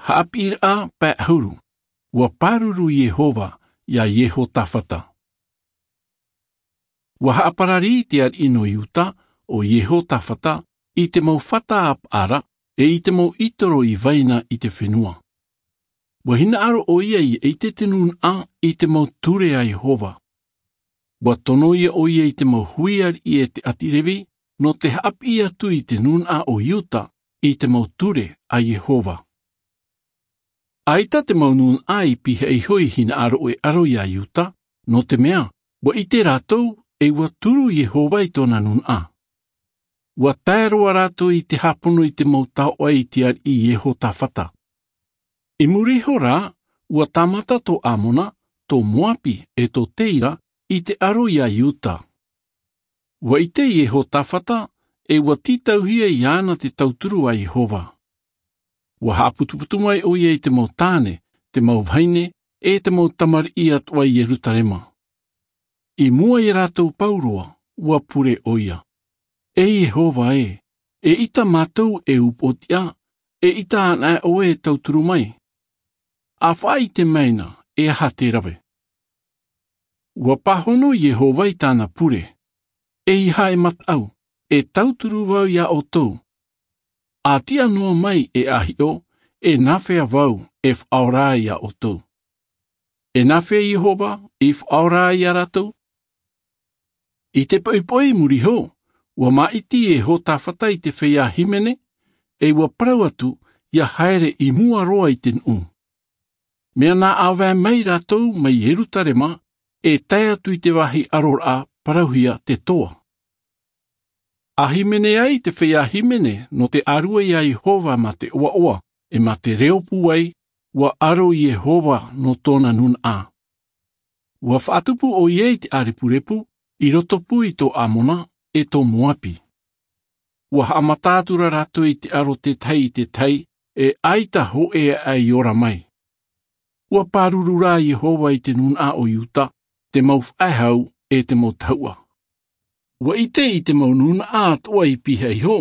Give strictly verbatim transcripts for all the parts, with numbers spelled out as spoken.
Haʻapiʻiraʻa pae ʻahuru. Ua pāruru iehova iā iehotafata. Ua haʻaparari te ariʻi nō iuta, ʻo iehotafata, i te mau fata a paʻara, e i te mau ʻitoro i vaina i te fenua. Ua hinaʻaro ʻo ia i ʻite te nūnaʻa i te mau ture a iehova. Ua tono ia ʻo ia i te mau hui ariʻi e te ʻāti revi, nō te haʻapiʻi atu i te nūnaʻa o iuta i te mau ture a iehova. ʻAita te mau nūnaʻa i pihaʻi iho i hinaʻaro e ʻaro iā iuta, nō te mea ua ʻite rātou e ua turu iehova i tōna nūnaʻa. Ua tae roa rātou i te hāpono i te mau taoʻa i te ariʻi iehotafata. I muri iho rā, ua tāmata tō amona, tō moapi, e tō teira i te ʻaro iā iuta. Ua ʻite iehotafata e ua tītauhia iāna te tauturu a iehova. Ua haʻaputuputu mai ʻo ia i te mau tāne, te mau vahine, e te mau tamariʻi atoʻa i ierutarema. I mua iā rātou pauroa, ua pure ʻo ia, e iehova e, eʻita mātou e upoʻotiʻa, eʻita anaʻe ʻoe e tauturu mai? A faʻaʻite mai na e aha te rave. Ua pāhono iehova i tāna pure, e i hae mataʻu, e tauturu vau iā ʻoutou. A tiʻa noa mai e ʻahiʻo, e nāfea vau e faʻaora ai iā ʻoutou? E nāfea iehova i faʻaora ai iā rātou? I te poʻipoʻi muri iho, ua māʻiti iehotafata i te feiā hīmene, e ua parau atu ia haere i mua roa i te nuʻu. Mea nā ʻāvae mai rātou mai ierutarema, e tae atu i te vāhi ʻaroraʻa parauhia te toa. A hīmene ai te feiā hīmene nō te ʻārue iā iehova mā te ʻoaʻoa, e mā te reo pūai, ua ʻaro iehova nō tōna nūnaʻa. Ua faʻatupu ʻo ia i te ʻārepurepu i roto pū i tō amona, e tō moapi. Ua haʻamata atu rā rātou i te ʻaro tētahi i tētahi, e ʻaita hōʻē aʻe i ora mai. Ua pāruru rā iehova i te nūnaʻa o iuta, te mau faʻehau, e te mau tahuʻa. Ua ʻite i te mau nūnaʻa atoʻa i pihaʻi iho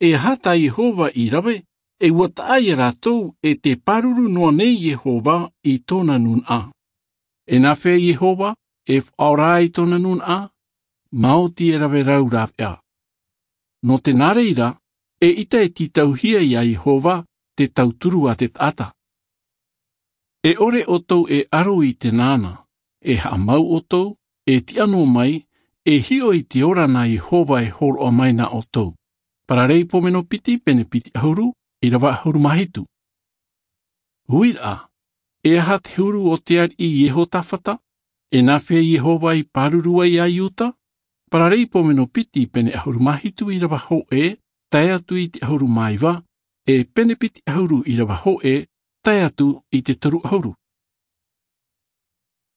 e aha tā iehova i rave, e ua taʻa iā rātou e te pāruru noa nei iehova i tōna nūnaʻa. E nāfea iehova e faʻaora ai tōna nūnaʻa? Maoti e rave rau rāveʻa. Nō te nā reira, eʻita e tītauhia iā iehova te tauturu a te taʻata. E ʻore ʻoutou e ʻaro i te nāna, e haʻamau ʻoutou, e tiʻa noa mai, e hiʻo i te ora nā iehova e hōroʻa mai nā ʻoutou. Paraleipomeno piti pene piti ʻahuru, ʻīrava ʻahuru mā hitu. Uiraʻa, e aha te huru o te ariʻi iehotafata? E nāfea iehova i pāruru ai iā iuta? Paraleipomeno piti pene ʻahuru mā hitu, ʻīrava hōʻē tae atu i te ʻahuru mā iva, e pene piti ʻahuru, ʻīrava hōʻē tae atu i te toru ʻahuru.